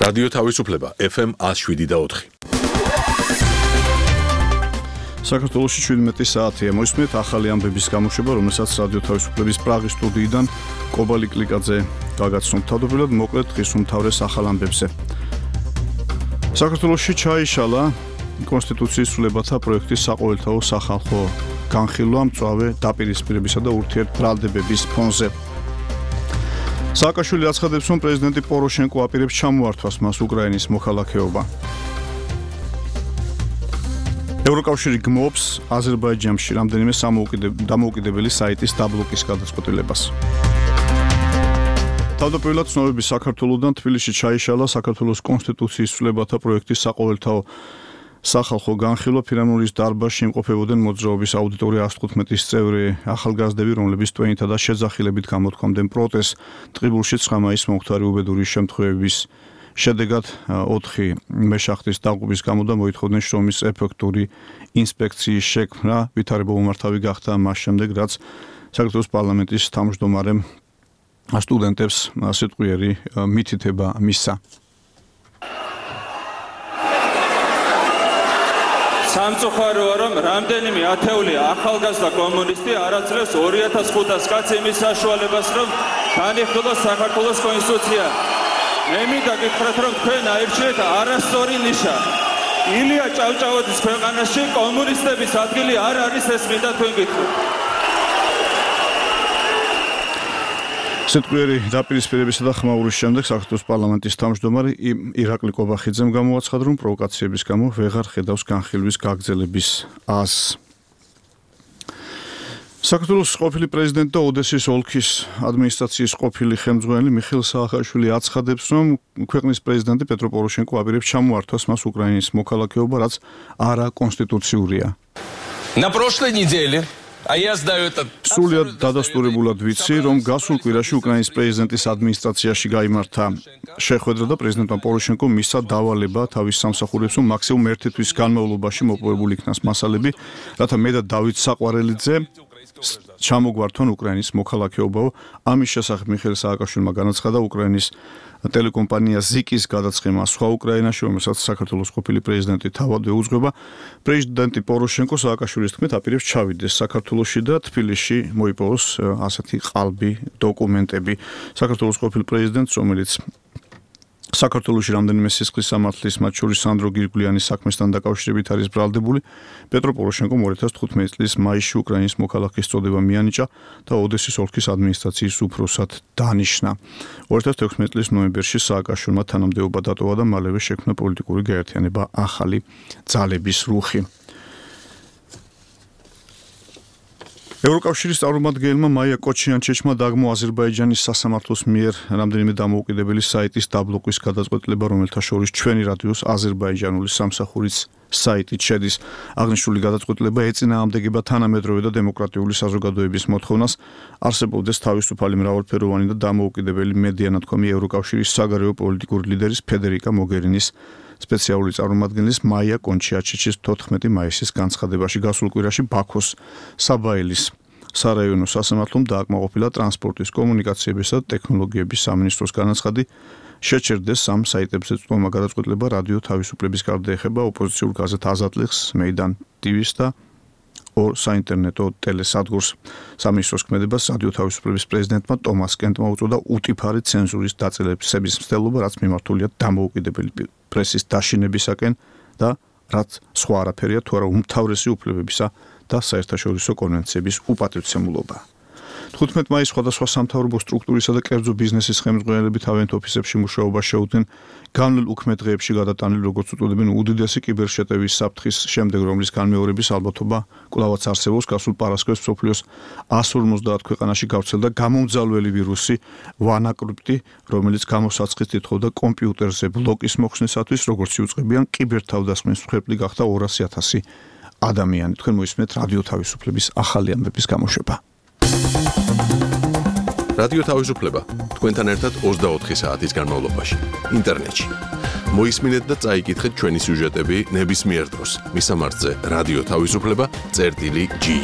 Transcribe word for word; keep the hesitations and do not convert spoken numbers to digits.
რადიო თავისუფლება ეფ ემ one oh seven და four. საქართველოში შვიდმეტი საათია. მოისმენთ ახალი ამბების გამოშვება, რომელსაც რადიო თავისუფლების პრაღის სტუდიიდან კობალი კლიკაძე გაგაცნობთ. თავდაპირველად მოკლედ დღის უმთავრეს ახალ ამბებზე. საქართველოში ჩაიშალა კონსტიტუციის ცვლილებათა პროექტის საყოველთაო სახალხო განხილვა მწვავე დაპირისპირებისა და ურთიერთბრალდებების ფონზე. სააკაშვილი აცხადებს, რომ პრეზიდენტი პოროშენკო აპირებს ჩამოართვას მას უკრაინის მოქალაქეობა. ევროკავშირი გმობს აზერბაიჯანში რამდენიმე დამოუკიდებელი საიტის დაბლოკის გადაწყვეტილებას. თავდაპირველად ცნობების საქართველოდან თბილისში ჩაიშალა საქართველოს კონსტიტუციის ცვლილებათა პროექტის საყოველთაო სახალხო განხილვა. ფირამურის დარბაზში იმყოფებოდნენ მოძრაობის აუდიტორია one hundred fifteen წევრი ახალგაზრდები, რომლებიც ტვენითა და შეძახილებით გამოთქვამდნენ პროტესტს. ტყიბულში nine მაისს მომხდარი უბედური შემთხვევების შედეგად ოთხი მეშახტის დაღუპვის გამო და მოითხოვდნენ შრომის ეფექტური ინსპექციის შექმნა. ვითარება უმართავი გახდა მას შემდეგ, რაც საქართველოს პარლამენტის თავმჯდომარემ სტუდენტებს სიტყვიერი მითითება მისცა. სამწუხაროა, რომ რამდენიმე ათეული ახალგაზრდა კომუნისტი არაძლევს two thousand five hundred კაცს იმის საშუალებას, რომ განიხილოს საქართველოს კონსტიტუცია. მე მინდა გითხრათ, რომ თქვენ აირჩიეთ არასწორი ნიშა. ილია ჭავჭავაძის ქვეყანაში კომუნისტების ადგილი არ არის, ეს მინდა თქვენ გითხრათ. სიტყვიერი დაპირისპირებისა და ხმაურის შემდეგ საქართველოს პარლამენტის თავმჯდომარე ირაკლი კობახიძემ გამოაცხადა, რომ პროვოკაციების გამო ვეღარ ხედავს განხილვის გაგრძელების აზრს. საქართველოს ყოფილი პრეზიდენტი და ოდესის ოლქის ადმინისტრაციის ყოფილი ხელმძღვანელი მიხეილ სააკაშვილი აცხადებს, რომ ქვეყნის პრეზიდენტი პეტრო პოროშენკო აპირებს ჩამოართვას მას უკრაინის მოქალაქეობა, რაც არაკონსტიტუციურია. На прошлой неделе სრულად დადასტურებულად ვიცი, რომ გასულ კვირაში უკრაინის პრეზიდენტის ადმინისტრაციაში გაიმართა შეხვედრა და პრეზიდენტმა პოროშენკომ მისცა დავალება თავის სამსახურებს, რომ მაქსიმუმ ერთი თვის განმავლობაში მოპოვებული იქნას მასალები, რათა მე და დავით საყვარელიძე ჩამოგვართვან უკრაინის მოქალაქეობაო. ამის შესახებ მიხეილ სააკაშვილმა განაცხადა უკრაინის ტელეკომპანია ზიკის გადაწყემა სხვა უკრაინაში, რომელსაც საქართველოს ყოფილი პრეზიდენტი თავად ეუძღვება. პრეზიდენტი პოროშენკო სააკაშვილის თქმით აპირებს ჩავიდეს საქართველოში და თბილისში მოიპოვოს ასეთი ყალბი დოკუმენტები. საქართველოს ყოფილ პრეზიდენტს, რომელიც საქართველოში რამდენიმე სისხლის სამართლის, მათ შორის სანდრო გირგვლიანის საქმესთან დაკავშირებით არის ბრალდებული, პეტრო პოროშენკომ two thousand fifteen წლის მაისში უკრაინის მოქალაქის წოდება მიანიჭა და ოდესის ოლქის ადმინისტრაციის უფროსად დანიშნა. two thousand sixteen წლის ნოემბერში სააკაშვილმა თანამდებობა დატოვა და მალევე შექმნა პოლიტიკური გაერთიანება ახალი ძალების რუხი. ევროკავშირის წარმომადგენელმა მაია კოჩიანჩეჩმა დაგმო აზერბაიჯანის სასამართლოს მიერ რამდენიმე დამოუკიდებელი საიტის დაბლოკვის გადაწყვეტილება, რომელთა შორის ჩვენი რადიოს აზერბაიჯანული სამსახურიც საიტით შედის. აღნიშნული გადაწყვეტილება ეწინააღმდეგება თანამედროვე და დემოკრატიული საზოგადოების მოთხოვნას, არსებობდეს თავისუფალი მრავალფეროვანი და დამოუკიდებელი მედია-ნათქვამი ევროკავშირის საგარეო პოლიტიკური ლიდერის ფედერიკა მოგერინის სპეციალური წარმომადგენლის მაია კონჩიაჩეჩის თოთხმეტი მაისის განცხადებაში. გასულ კვირაში ბაქოს საბაილის სარაიონო სასამართლომ დააკმაყოფილა ტრანსპორტის, კომუნიკაციებისა და ტექნოლოგიების სამინისტროს განაცხადი, შეჩერდეს სამ საიტებზე წვდომა გადაწყვეტილება რადიო თავისუფლების გარდა ეხება ოპოზიციურ გაზეთ აზატლიხს, მეიდან ტივის და ორ საინტერნეტო ტელესადგურს. სამინისტროს ქმედებას რადიო თავისუფლების პრეზიდენტმა ტომას კენტმა უწოდა უტიფარი ცენზურის დაწყებების მცდელობა, რაც მიმართულია დამოუკიდებელი პრესის დაშინებისაკენ და რაც სხვა არაფერია თუ არა უმთავრესი უფლებებისა და საერთაშორისო კონვენციების უპატივცემულობა. თხუთმეტ მაისს სხვადასხვა სამთავრობო სტრუქტურისა და კერძო ბიზნესის ხელმძღვანელები თავიანთ ოფისებში მუშაობა შეუდგნენ განვლილ უქმე დღეებში გადატანილი, როგორც უწოდებენ, უდიდესი კიბერშეტევის საფრთხის შემდეგ, რომლის განმეორების ალბათობა კვლავაც არსებობს. გასულ პარასკევს მსოფლიოს one fifty ქვეყანაში გავრცელდა გამომძალველი ვირუსი WannaCrypt, რომელიც გამოსაცხით ითხოვდა კომპიუტერზე ბლოკის მოხსნისათვის, როგორც იუწყებიან კიბერთავდასხმის მსხვერპლი გახდა two hundred thousand ადამიანი. თქვენ მოისმენთ რადიო თავისუფლების ახალი ამბების გამოშვება. რადიო თავისუფლება თქვენთან ერთად twenty-four საათის განმავლობაში ინტერნეტში. მოისმინეთ და წაიკითხეთ ჩვენი სიუჟეტები ნებისმიერ დროს. მისამართზე რადიო თავისუფლება წერტილი ჯი.